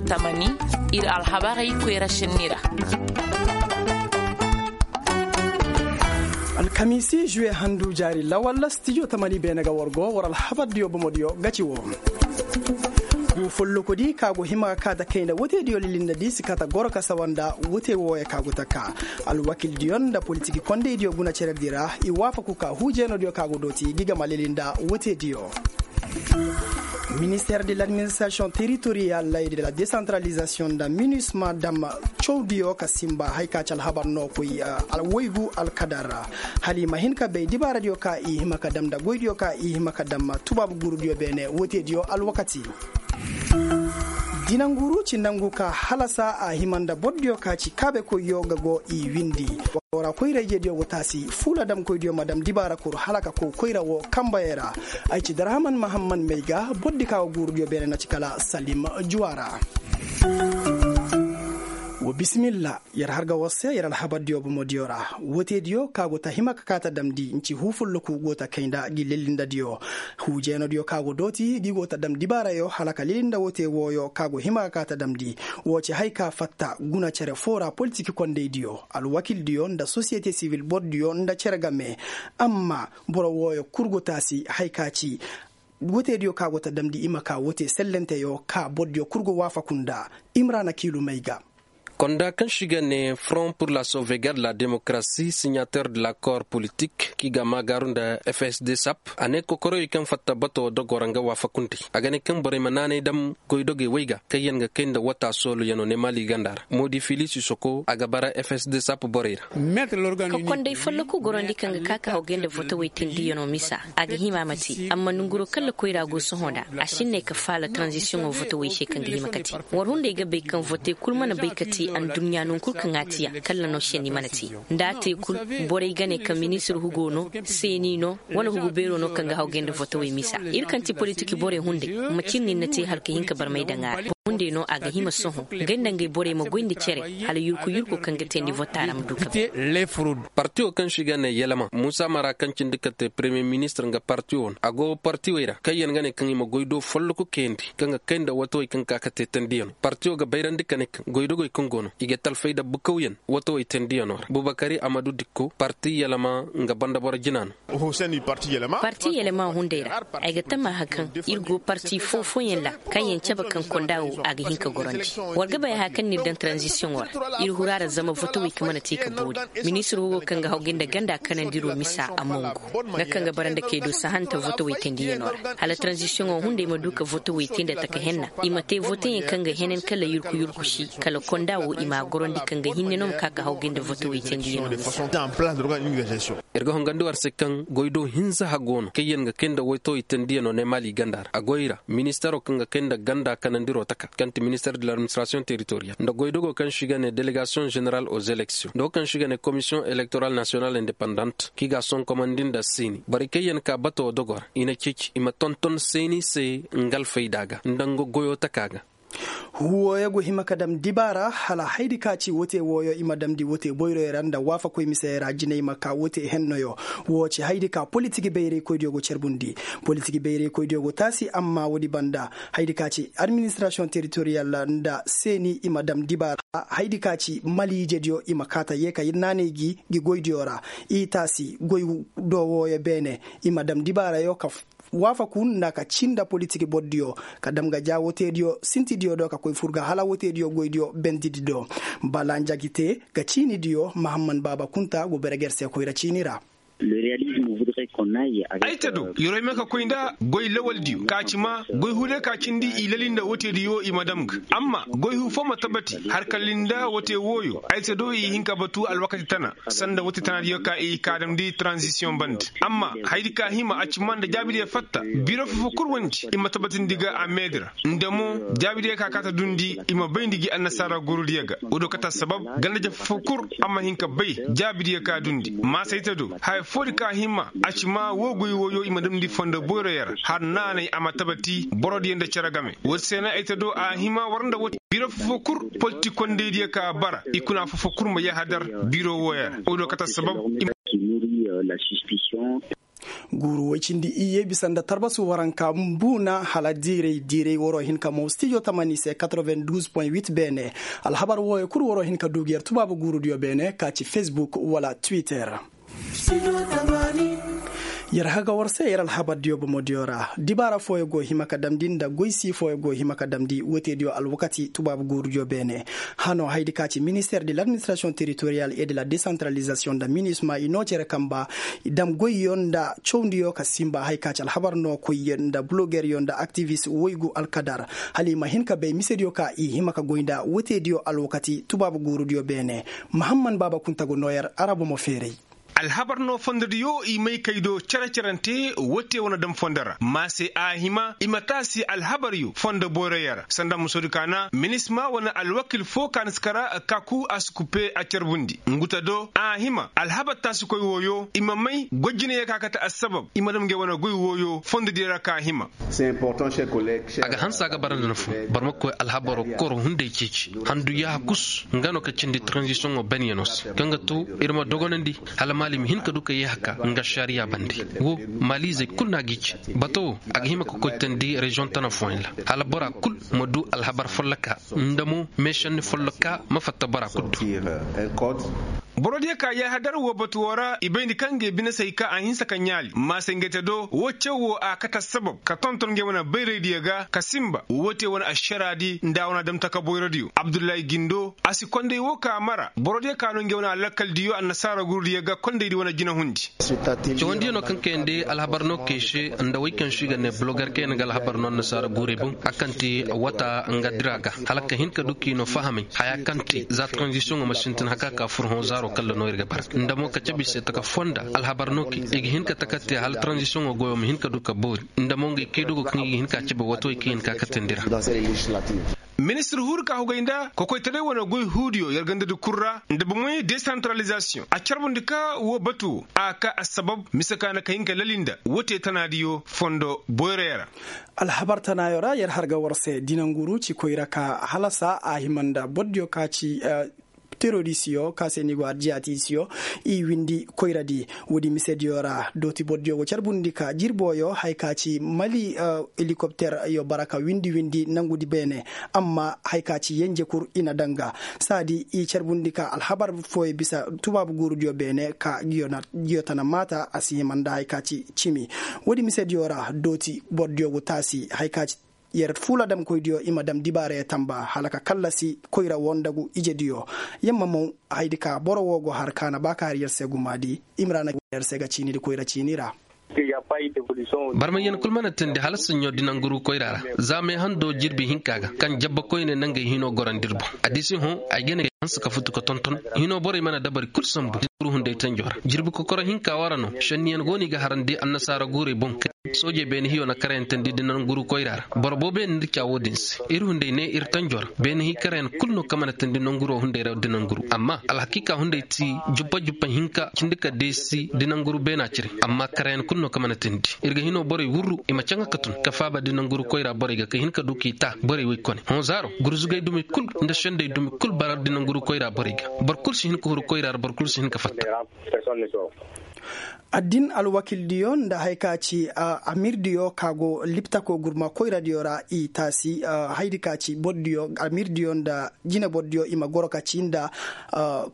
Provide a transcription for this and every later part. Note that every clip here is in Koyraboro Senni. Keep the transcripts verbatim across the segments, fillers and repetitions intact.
Tamani, ir alhabarey koyra senni ra. Alkamiisi juwe handu jaari lawal stijo tamani beene ga war go war alhabardiyo bomodiyo ga ci wo. Gu follokodi ka go hima ka ta kayna woteediyo lilinda di si ka ta goro ka sawa nda wote wooyo ka go ta ka. Alwakildiyo nda politik kondeydiyo guna cerediyo ra i waafaku ka huujeenodiyo ka go dooti gi gama lilinda woteediyo. Minister de l'administration territorial et de la décentralisation nda minusma dam cawdiyo ka simba hay ka ci alhabar no koy. Woygu alkadar ra hala i ma hin ka bay dibaaradiyo ka i hima ka dam nda goydiyo ka i hima ka dam tubaabu guurudiyo beene woteediyo alwakati. Dinanguru ci nangu ka halasa a hima nda bordiyo ka ci kaabekoyyo ga go i windi. Wara koyra ijediyo go taasi fuula damkoydiyo ma dam dibaara kuru hala ka kow koyra wo kambayey ra. Ay ci darhaman mahamman may ga bordi ka go guurudiyo beene na ci kala salim juwa ra. Wa bisimilla. Yer har ga war se yer alhabardiyo bomodiyo ra. Woteediyo ka go ta hima ka kaa ta damndi nci huu folloku go ta kay nda gi lillindadiyo. Huujeenodiyo ka go dooti gi go ta dam dibaarayo hala ka lillinda wote wooyo ka go hima ka kaa ta damndi. Woo ci hay ka fatta guna cere foo ra politik kondeydiyo alwakildiyo nda sosiyete sivil bordiyo nda cere game. Amma boro wooyo kul go taasi hay ka ci woteediyo ka go ta damndi i ma kaa wote sellenteyo ka bordiyo kul go waafaku nda. Imrana kiilu may ga. Konda kaŋ se i ga ne front pour la sauvegarde de la démocratie signateur de l'accord politique kaŋ i ga maagaaru nda fsd sap a ne kokoroyey kaŋ fatta bato dogo ra nga waafakuntey a ga ne kaŋ borey ma naanay dam goydogey wey ga kaŋ yaŋ ga kay nda wata sooluyaŋo ne maali ganda ra moodi fili sisoko a ga bara fsd sap borey ra. Ka konday folloku gorandi kaŋ ga ka ka hawgay nda votowey tendiyaŋo misa a ga hima ma te amma nanguro kaŋ lakoyra go sohõ nda a si hin ne ka faala tranzisiyoŋo votowey se kaŋ ga hima ka te. War hunday ga bay kaŋ vote kul mana bay ka te adduɲɲa non kul kaŋ a tiya kalla no senni mana te. Nda a te kul borey ga ne kaŋ ministir hugo no seeni no wala hugu beero no kaŋ ga hawgay nda votowey misa. Ir kaŋ ti politik borey hunday macin nin na te hala ka hin ka barmay daŋ a ra. Hunday no a ga hima sohõ gay nda ngey borey ma goy nda cere hala yurku yurku kaŋ ga teendi vota ra ma du ka bay. Partiwo kaŋ se i ga ne yelema muusa mara kaŋ cindi ka te premiye ministir nga partiwo no a go partiwey ra kaŋ yaŋ ga ne kaŋ i ma goy do folloku kayandi kaŋ ga kay nda watawey kaŋ ka ka te teendiyaŋo partiwo ga bayrandi ka ne kaŋ goydogey kaŋ go no i ga talfay nda bukawyaŋ watawey teendiyaŋo ra bubakari amadu dikko parti yelema nga banda boro jina no. Parti yelema hunday ra ay ga tama hakaŋ ir go parti foo-fooyaŋ ra kaŋ yaŋ cabe kaŋ konda wo a ga hin ka gorandi. War ga bay hakaŋ no ir daŋ taranzisiyoŋo ra ir huru a ra zama votowey kaŋ mana te ka boori. Ministir wo kaŋ ga hawgay nda ganda kanandiro misa a mongu nga kaŋ ga bara nda kaydo sahanta votowey teendiyaŋo ra hala taranzisiyoŋo hunday ma du ka votowey te nda taka henna i ma te voteyaŋ kaŋ ga henen kala yurku yurku si kala konda wo i m'a gorandi kaŋ ga hinne no ma ka ka hawgay nda votowey teendiyaŋo misa. Ir ga hongandi war se kaŋ goydo hinza hago no kaŋ yaŋ ga kay nda wayto i tendiyaŋo ne maali ganda ra a goy ra ministero kaŋ ga kay nda ganda kanandiro taka kaŋ ti minister de l'administration territorial nda goydogo kaŋ se i ga ne delegasiyoŋ general aux élections nda wo kaŋ se i ga ne komisiyoŋ elektoral national independant kaŋ i ga a sonkomandi nda seeni borey kaŋ yaŋ ka bato dogo ra i na ceeci i ma tonton seeni se nga alfayda ga nda nga goyo taka ga. Huuwooyo go hima ka dam dibaara hala haydi ka ci wote wooyo i ma damndi wote boyroyo ra nda waafakoy misey ra jinay ma ka wote hennoyo. Woo ci haydi ka politik bayraykoydiyo go carbundi. Politik bayraykoydiyo go taasi amma woodi banda haydi ka ci administrasiyoŋ teritoriyal nda seeni i ma dam dibaara. Haydi ka ci maliijediyo i ma kaa ta yee ka naanay gi gi goydiyo ra. I taasi goy do wooyo beene i ma dam dibaarayo ka waafaku nda ka ci nda politik bordiyo ka dam ga jaawo teediyo sintidiyo do ka koy fur ga hala woteediyo goydiyo bendidi do. Bala nja gi te ga ciinidiyo mahamman baaba kunta go bere ga yer se koyra ciini ra. Ay te do yer wo hima ka koy nda goy lawaldiyo ka ci ma goy huude ka cindi i lali nda woteediyo i ma dam ga amma goy huu foo ma tabati har ka lali nda wote wooyo ay te do i hin ka batu alwakati tana sanda wote tanaadiyo ka i ka damndi taranzisiyoŋ bande. Amma hayadi ka hima a ci ma nda jaabidiyo fatta biro foo-foo kul wandi i ma tabatindi ga a meedi ra nda mo jaabidiyo ka ka ta dundi i ma bayndi gi annasaara gurudiyo ga. Woodiyo kate assabab ganda-jefo foo kul a ma hin ka bay jaabidiyo ka dundi maasayte do haya foodi ka hima a ci ma woo goy wooyo i ma damndi fondo boyroyo ra har naanay a ma tabati borodiyo nda cere game woodi se no ay te do a hima war nda wote biro foo-foo kul politik kondaydiyo ka bara i kuna foo-foo kul ma yahadar biro wooyo ra woodiyo kate assabab. Guuru woy cindi iyye bisa nda tarbasu waranka mbuuna hala diiray diiray waroo hin ka mow stijo tamani se. Beene alhabar wooyo kul waroo hin ka duu ga yer tubaabu guurudiyo beene ka ci fesbuk wala twitter. Yer haga war se yer alhabardiyo bomodiyo ra dibaara fooyo go hima ka damndi nda goy sii fooyo go hima ka damndi woteediyo alwakati tubaabu guurudiyo beene. Hanoo haydi ka ci minister de l'administrasiyoŋ teritoriyal e de la desantaralizasiyoŋ nda minisma i noo cere kamba i dam goyyo nda cawndiyo ka sinba haya ka ci alhabar no koyyo nda bulogeryo nda aktivis woygu alkadar hala i ma hin ka bay misediyo ka i hima ka goy nda woteediyo alwakati tubaabu guurudiyo beene. Mahamman baaba kunta go noo yer ara bomo feeray. Alhabar no fondodiyo i may kay do cere-cerante wote wane dam fondo ra ma se a hima i ma taasi alhabaryo fondo boyroyo ra sanda musodi ka na minisma wane alwakil fo ka na si kara kaku a si kupe a carbundi nguta do a hima alhabar taasikoy wooyo i ma may gojinayo ka kate assabab i ma dam ngey wane goy wooyo fondodiyo ra ka hima. A ga hanse a ga bara nda na fun boro ma koy alhabaro koro hunday ceeci handu yaaha kus nga no ka cindi taranzisiyoŋo benyaŋo se kaŋ ga to ir ma dogonandi hala maali ma hin ka du ka yee haka nga ašariya bande. Wo maaliizey kul no a g'i ci bato wo a ga hima ka koy teendi reziyoŋ tana fooyaŋ ra hala bora kul ma du alhabar folloka nda mo meešanni folloka ma fatta bora kul do. Borodiyo ka yaahadar woo batu woo ra i bay ni kaŋ ga i bine se hay ka a hinsa ka ɲaali maasengete do woo caw woo a kate assabab ka tonton ngey wane bayraydiyo ga ka sinba woo te wane ašaraadi nda a wane adamtaka boyrodiyo abdullahi gindo a si konday woo ka mara borodiyo ka no ngey wane alakkaldiyo annasaara gurudiyo ga kondaydi wane jinahundi. Cawandiyo no kaŋ kayandi alhabar no kay se nda wey kaŋ se i ga ne bulogar kayandi ga alhabar no annasaara guurey boŋ a kaŋ te wata nga dira ga hala ka hin ka du k'i no fahamay haya kaŋ te za taranzisiyoŋo ma sintin haka ka fur hõ zaaro kalla no ir ga bara nda mo ka cabe i se taka fonda alhabar no kay i ga hin ka taka te hala taranzisiyoŋo goyo ma hin ka du ka boori nda mo ngey kay dogo kaŋ i ga hin ka cabe wato i kaŋ i hin ka katandi ra. Ministir huuru ka hugay nda kokoytaray wane goy huudiyo yer gandadi kul ra nda bomey desantaralizasiyoŋ a carbundi ka woo batu woo a ka assabab mise ka na ka hin ka lali nda woo te tanaadiyo fondo boyroyo ra. Alhabar tanaayo ra yer har ga war se dinanguru ci koyra ka halasa a hima nda bordiyo ka ci terorisiyo ka se ni go arjiyatisiyo i windi koyradi. Woodi misediyo ra dooti bordiyo go carbundi ka jirboyo haya ka ci mali helikopteryo bara ka windi windi nangudi beene. Amma haya ka ci yenje kul i na daŋ ga saadi i carbundi ka alhabar fooyo bisa tubaabu guurudiyo beene ka giyo tana maata a si hima nda haya ka ci cimi. Woodi misediyo ra dooti bordiyo go taasi haya ka ci yer fuuladamkoydiyo i ma dam dibaarayo tamba hala ka kallasi koyra woo nda gu ijediyo. Yer ma maw haydi ka boro woo go har ka na ba ka har yer se gumaadi. Imrana yer se ga ciinidi koyra ciini ra. Barmayan kul mana teendi hala saɲɲo dinanguru koyra ra. Za meehando jirbi hinka ga kaŋ jabba koyne nangey hino gorandi ir boŋ. Addiisi hõ ay ga ne ay hanse ka futu ka tonton hino borey mana dabari kul sambu dinanguru hunday tanjo ra jirbi kokoro hinka wara no šenniyan go no i ga harandi annasaara guurey boŋ. Soojey beene hiyo na karayantandi dinanguru koyra ra boro boobo yaŋ nda ca woodin se ir hunday ne ir tanjo ra beene hi karayan kul no kaŋ mana teendi nanguro hunday ra dinanguru amma alhakiika hunday ti juppa juppa hinka cindi ka deesi dinanguru beena cire. Amma karayan kul no kaŋ mana teendi ir ga hino borey wurru i ma caŋa ka tun ka faaba dinanguru koyra borey ga ka hin ka du k'i ta borey woy kone hõ zaaro gurzugay dumi kul nda sendey dumi kul bara dinanguru koyra borey ga. Boro kul si hin ka huru koyra ra boro kul si hin ka fatta. Addin alwakildiyo nda haya ka ci amirdiyo ka go liptako gurma koyradiyo ra i taasi. Haydi ka ci bordiyo amirdiyo nda jinebordiyo i ma goro ka ci nda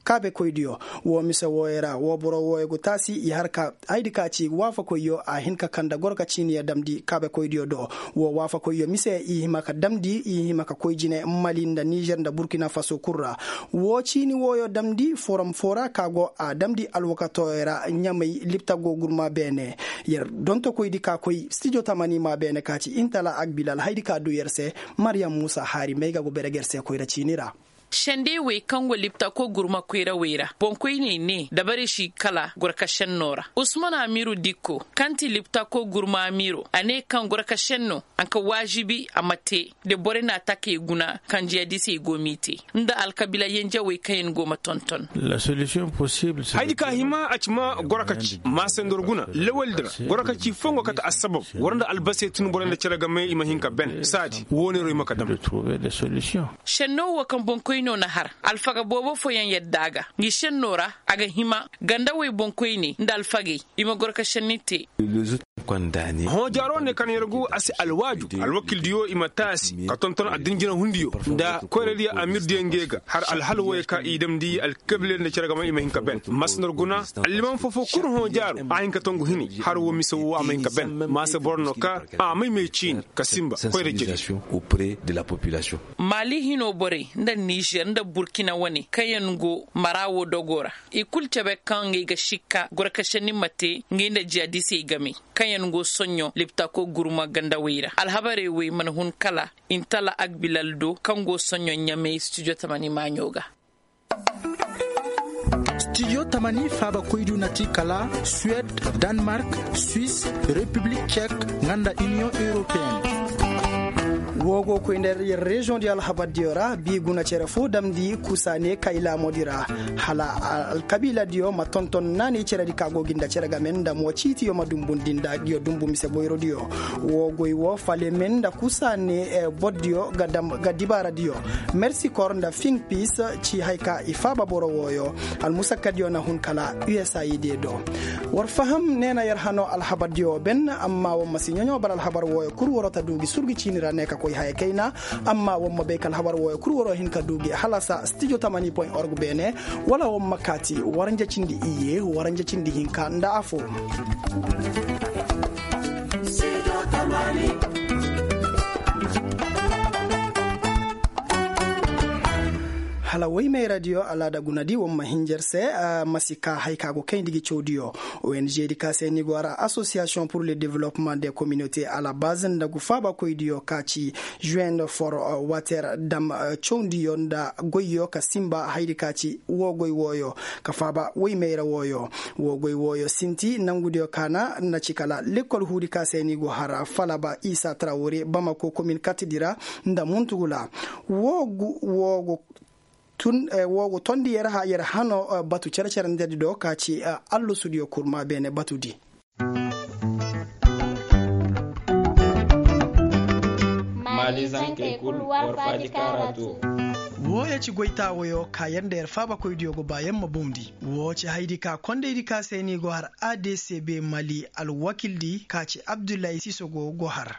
kaabekoydiyo. Woo mise wooyo ra woo boro wooyo go taasi i har ka haydi ka ci waafakoyyo a hin ka kande goro ka ciiniyo damndi kaabekoydiyo do. Woo waafakoyyo mise i hima ka damndi i hima ka koy jine mali nda nizer nda burkina faso kul ra. Woo ciini wooyo damndi forom foo ra ka go a damndi alwakatooyo ra ɲamay lipta go gurma beene. Yer dontokoydi ka koy stijo tamani maa beene ka ci intala agbilal haydi ka duu yer se. Maryam muusa haari may ga go bere ga yer se koyra ciini ra. Sendey wey kaŋ go liptako gurma koyrawey ra boŋkoyney ne dabarey si kala gorka šennoo ra usman amiru dikko kaŋ ti liptako gurma amiiro a ne kaŋ gorka šennoo a ka waažibi a ma te. Da borey na a takey guna kaŋ jiyadisey go m'i te nda alkabiila yenjawey kaŋ yaŋ go ma tonton. Haydi ka hima a ci ma goro ka ci maasandor guna lawaldi ra goro ka ci foo nga kate assabab war nda albasey tun borey nda cere game i ma hin ka ben saadi wooneeroo i ma ka dam. Šennoo woo kaŋ boŋkoy No na har alfaga boobo fooyaŋ yadda a ga ngi senno ra. A ga hima gandawey boŋkoyney nda alfagey i ma goro ka senni te. Hõ jaaro ne kaŋ yer go a si alwaaju alwakildiyo i ma taasi ka tonton addinjina hundiyo nda koyradiyo amirdiyo ngey ga har alhal wooyo ka i damndi alkabiiley nda cere game i ma hin ka ben. Masnar guna alliman foofoo kul hõ jaaro a hin ka tongu hini har woo mise woo a ma hin ka ben. Maasa boro no ka a may may ciini ka sinba koyra jiri. Maali hinoo borey nda nizer nda burkina wane kaŋyaŋ go mara woo dogoo ra i kul cebe kaŋ ngey ga sikka goro ka senni ma te ngey nda jihadisey game kaŋyaŋ go soɲõ liptakoo gurma gandawey ra alhabarey wey mana hun kala intala agbilal do kaŋ go soɲõ ɲamey studio tamani maaɲo ga. Studio tamani faabakoydu na ti kala suwed, danmark, swis, repiblik cek, nga nda iniyoŋ europeen. Woo go koy nda yer reziyoŋ di alhabardiyo ra bii guna cere foo damndi kusaane kay laamodi ra hala alkabiiladiyo ma tonton naanay ceredi ka go gi nda cere game nda mo ciitiyo ma dumbundi nda nguyo dumbu mise boyrodiyo. Woo goy woo falemen nda kusaane bordiyo ga dibaaradiyo mersikor nda fiŋ piis ci hay ka i faaba boro wooyo. Almusakkadiyo na hun kala usaid do. War faham ne na yer hanoo alhabardiyo ben amma war ma si ɲaɲoo bala alhabar wooyo kul waroo ta du gi surgi ciini ra ne ka koy haya kayna. Amma war ma bay ka alhabar wooyo kul waroo hin ka du gi halasa stijo tamani point org beene. Wala war ma kaati waranja cindi iyye waranja cindi hinka nda afo. Hala woy may radiyo alaada guna di war ma hinja yer se. Ma si ka hay ka go kayndi gi cawdiyo. Ong di ka se ni go har asosiyasiyoŋ pur le development de kominote alabaz nda gu faabakoydiyo ka ci juwend for water dam cawndiyo nda goyyo ka sinba haydi ka ci woo goy wooyo ka faaba woy mayra wooyo. Woo goy wooyo sinti nangudiyo kaana na ci kala lekkol huudi ka se ni go har falaba isa trawore bamako komin katidi ra nda muntugula. Woo gu woo gu tun woo gu tondi yer hano batu cere-cerendedi do ka ci allasudiyo kurma beene batudi. Maali zankey kul war faaji kaara to. Wooyo ci goytaawoyo ka yer nda yer faabakoydiyo go ba yer ma bondi. Woo ci haydi ka kondaydi ka se ni go har adcb mali alwakildi ka ci abdullahi sisogo go har.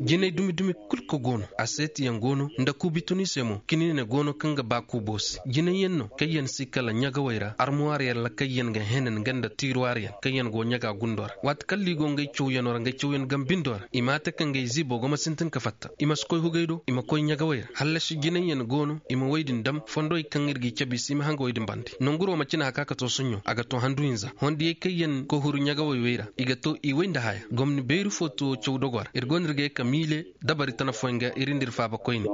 Jinay dumi-dumi kul ka go no aseetiyaŋ go no nda kuubi tun i se mo kiniine go no kaŋ ga ba kuubo se jinayyaŋ no kaŋ yaŋ si kala ɲagawey ra armuwaaryaŋ ra kaŋ yaŋ ga henen nga nda tiiruwaaryaŋ kaŋ yaŋ go ɲaga gundo ra waati kaŋ liigo ngey cawyaŋo ra ngey cawyaŋ gambindo ra i ma a te ka ngey ziibo go ma sintin ka fatta i ma si koy hugey do i ma koy ɲagawey ra hallasi jinayyaŋ go no i ma wey din dam fondowey kaŋ ir g'i cabe i si i ma hanga wey din bande nonguro ma cina haka ka to soɲɲo a ga to handu hinza hondiyey kaŋ yaŋ koy huru ɲagawey wey ra i ga to i wey nda haya gomni bayru fo to caw dogo ra ir go no ir ga ye ka miile dabari tana fooyaŋ ga ir nda ir faaba koyne.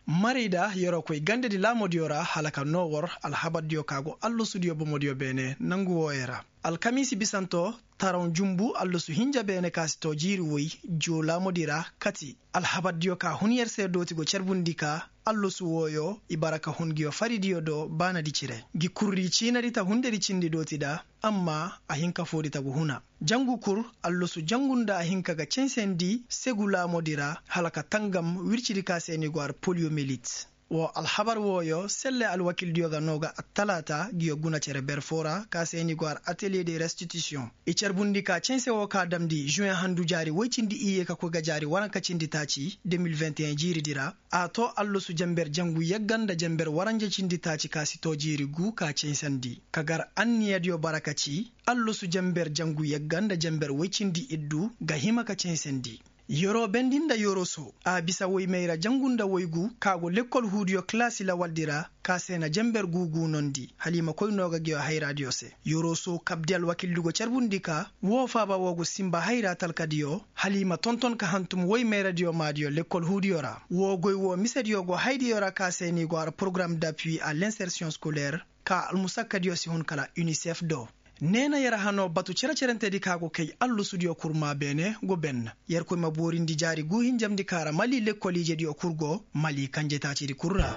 Marayda yeroo koy gandadi laamodiyo ra hala ka noo war alhabardiyo ka go allasudiyo bomodiyo beene nangu wooyo ra. Alkamiisi bisanto taraw jumbu allasu hinja beene ka si too jiiri woy joo laamodi ra kati alhabardiyo ka hun yer se dooti go carbundi ka allasu wooyo i bara ka hun nguyo faridiyo do baanadi cire ngi kurri ciinadi ta hundedi cindi dooti da amma a hin ka foodi tagu huna jangu kur allasu jangu nda a hin ka ga censendi segu laamodi ra hala ka tangam wircidi ka se ni go har poliyomelit. Woo alhabar wooyo selle alwakildiyo ga noo ga attalaata nguyo guna cere ber foo ra ka se ni go har ateliye de restitisiyoŋ i carbundi ka cense woo ka damndi žuweŋ handu jaari woy cindi iyye ka koy ga jaari waranka cindi taaci de mil vingt et un jiiridi ra. A too allasu jenber jangu yagga nda jenber waranja cindi taaci ka si too jiiri gu ka ceesandi ka gar anniyadiyo bara ka ci allasu jenber jangu yagga nda jenber woy cindi iddu ga hima ka ceesandi. Yeroo bendi nda yeroo soo a bisa woy mayra jangu nda woy gu ka go lekkol huudiyo kalaasi lawaldi ra ka se na jenber gu guunondi hala i ma koy noo ga ngiyo hayraadiyo se. Yeroo soo kabdi alwakildi go carbundi ka woo faaba woo go sinba hayra talkadiyo hala i ma tonton ka hantum woy mayradiyo maadiyo lekkol huudiyo ra woo goy woo misediyo go haydiyo ra ka se ni go har porogaram dapui a l'insersiyoŋ skolaire ka almusakkadiyo si hun kala unicef do. Neena yer hanoo batu cere-cerentedi ka go kay allasudiyo kurmaa beene go benna. Yerkoy ma boorindi jaari guu hinjamndi ka ra mali lekkol ijediyo kul go mali kanje taacidi kul ra.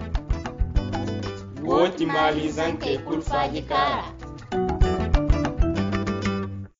Woo ti mali zankey kul faaji ka ra.